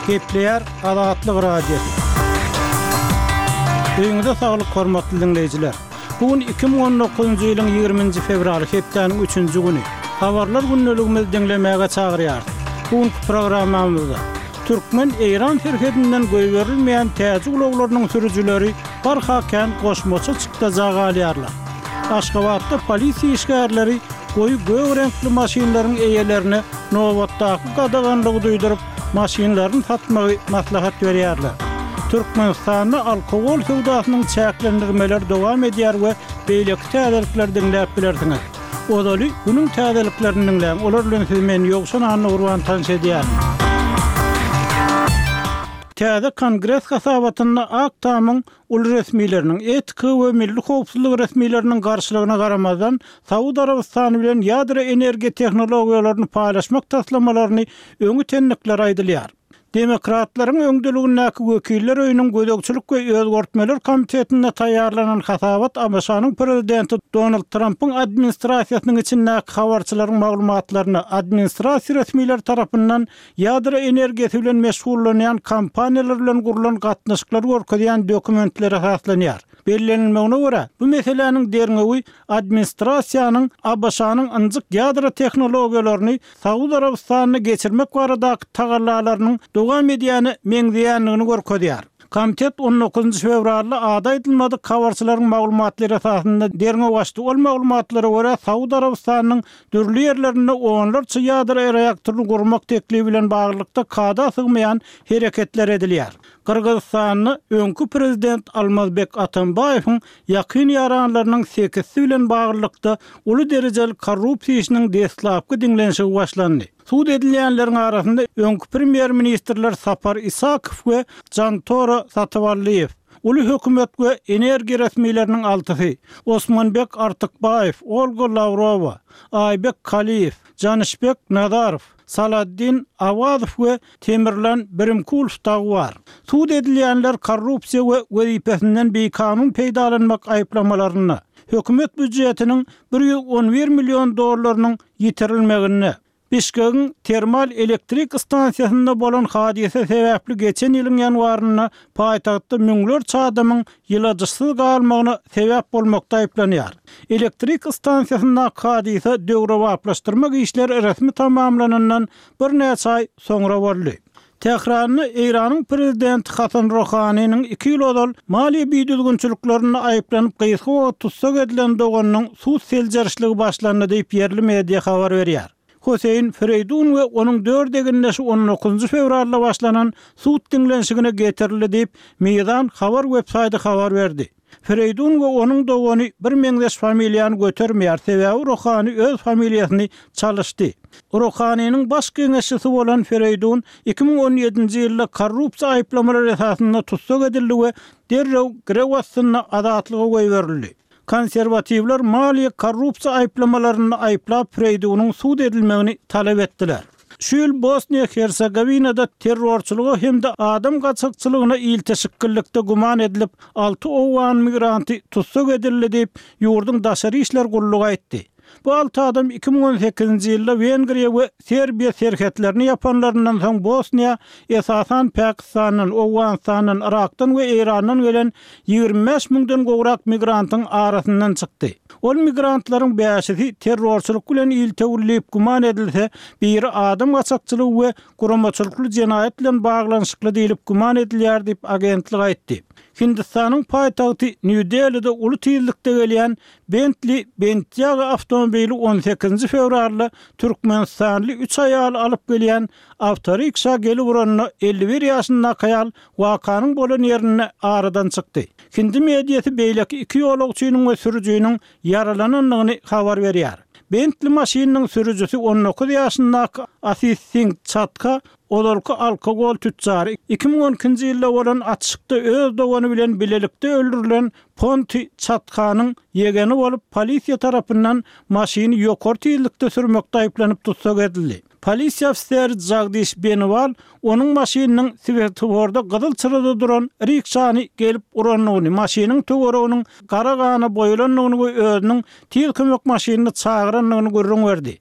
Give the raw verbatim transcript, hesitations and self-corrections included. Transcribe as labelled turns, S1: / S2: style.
S1: Gepleýär Azatlyk Radiosy. Öýüňize saglyk hormatly diňleýjiler. Bu gün iki müň on dokuzynjy ýylyň ýigriminji fewraly hepdäniň üçünji güni. Habarlar gündeligimizi diňlemäge çagyrýarys. Bu günki programmamyzda Türkmen-Eýran serhedinden goýberilmeýän täjik ulaglarynyň sürüjileri barha kän goşmaça çykdaja galýarlar. Aşgabatda polisiýa işgärleri goýy gök reňkli maşynlaryň eýelerine nobatdaky gadaganlygy duýduryp, maşynlaryny satmagy maslahat berýärler. Türkmenistanda alkogol söwdasynyň çäklendirmeleri dowam edýär we beýleki täzelikleri diňläp bilersiňiz. Ozaly günüň täzeliklerini diňläň, olar bilen sizi men Ýowşan Annagurban tanyş edýärin. Täze Kongres hasabatynda Ak Tamyň uly resmileriniň, etika we milli howpsuzlyk resmileriniň garşylygyna garamazdan, Saud Arabystany bilen ýadro energiýa tehnologiýalaryny paýlaşmak taslamalaryny öňe itendikleri aýdylýar. Demokratlaryň öňdeligindäki Wekiller öýüniň gözegçilik we özgertmeler komitetinde taýýarlanan hasabat ABŞ-nyň prezidenti Donald Trampyň administrasiýasynyň içindäki habarçylaryň maglumatlaryna, administrasiýa resmileri tarapyndan ýadro energiýasy bilen meşgullanýan kompaniýalar bilen gurlan gatnaşyklary görkezýän dokumentlere esaslanýar. Bellenilmegine görä, bu meseläniň derňewi administrasiýanyň ABŞ-nyň ynjyk ýadro tehnologiýalaryny Saud Arabystanyna geçirmek baradaky tagallalarynyň dowam edýäne meňzeýändigini görkezýär. Komitet on dokuzynjy fewralda ady aýdylmadyk habarçylaryň maglumatlary esasynda derňew açdy. Ol maglumatlara görä, Saud Arabystanynyň dürli ýerlerinde onlarça ýadro reaktoryny gurmak teklibi bilen baglylykda kada sygmaýan hereketler edilýär. Gyrgyzystanda öňki prezident Almazbek Atambaýewiň ýakyn ýaranlarynyň sekizsi bilen baglylykda uly derejeli korrupsiýa işiniň deslapky diňlenişigi başlandy. Sud edilýänleriň arasynda öňki premýer-ministrler Sapar Isakow we Jantora Satyballyýew, uly hökümet we energiýa resmileriniň altysy, Osmanbek Artykbaýew, Olga Lawrowa, Aýbek Kaliýew, Janyşbek Nazarow, Saladdin Awazow we Temirlan Birimkulow dagy bar. Sud edilýänler korrupsiýa we wezipesinden bikanun peýdalanmak aýyplamalarynda, hökümet býujetiniň bir ýüz on bir million dollarynyň ýitirilmeginde, Bişkegiň termal elektrik stansiýasynda bolan hadysa sebäpli geçen ýylyň ýanwarynda paýtagtda müňlerçe adamyň ýyladyşsyz galmagyna sebäp bolmakda aýyplanýar. Elektrik stansiýasyndaky hadysa döwrebaplaşdyrmak işleri resmi tamamlanandan birnäçe aý soňra boldy. Tähranda Eýranyň prezidenti Hasan Rohaniniň iki ýyl ozal maliýe bidüzgünçiliklerinde aýyplanyp gysga wagt tussag edilen doganynyň sud seljerişligi başlandy diýip ýerli media habar berýär. Hüseýin Fereýdun we onuň dört egindeşi on dokuzynjy fewralda başlanan sud diňlenişigine getirildi diýip, Mizan habar websaýty habar berdi. Fereýdun we onuň dogany bir meňzeş familiýany götermeýär, sebäbi Rohani öz familiýasyny çalyşdy. Rohaniniň baş geňeşçisi bolan Fereýdun iki müň on ýedinji ýylda korrupsiýa aýyplamalary esasynda tussag edildi we derrew girew astynda azatlyga goýberildi. Konserwatiwler maliýe korrupsiýa aýyplamalarynda aýyplap Fereýdunyň sud edilmegini talap etdiler. Şu ýyl Bosniýa-Hersegowinada terrorçylyga hem-de adam gaçakçylygyna ilteşiklilikde güman edilip, alty owgan migranty tussag edildi diýip, ýurduň daşary işler gullugy aýtdy. Bu alty adam iki müň on sekizinji ýylda Wengriýa we Serbiýa serhetlerini ýapanlaryndan soň Bosniýa esasan Pakistandan, Owganystandan, Yrakdan we Eýrandan gelen ýigrimi bäş müňden gowrak migrantyň arasyndan çykdy. Ol migrantlaryň bäşisi terrorçylyk bilen iltewli diýip güman edilse, biri adam gaçakçylygy we guramaçylykly jenaýat bilen baglanyşykly diýlip güman edilýär diýip agentlik aýtdy. Hindistanyň paýtagty Nýu-Delide uly tizlikde gelýän Bentley Bentayga awtomobili on sekizinji fewralda Türkmenistanly üç aýaly alyp gelýän awtorikşa gelip uranda elli bir ýaşyndaky aýal wakanyň bolan ýerinde aradan çykdy. Hindi mediasy beýleki iki ýolagçynyň we sürüjiniň ýaralanandygyny habar berýär. Bentley maşynynyň sürüjisi on dokuz ýaşyndaky Asis Singh Çatka ozalky alkogol tütjary iki müň on ikinji ýylda bolan atyşykda öz dogany bilen bilelikde öldürilen Ponti Çatkanyň ýegeni bolup, polisiýa tarapyndan maşyny ýokary tizlikde sürmekde aýyplanyp tussag edildi. Polisiýa ofiseri Jagdiş Beniwal onuň maşynynyň swetoforda gyzyl çyrada duran rikşany gelip urandygyny, maşynyň töwereginiň gara gana boýalandygyny we özüniň tiz kömek maşynyny çagyrandygyny gürrüň berdi.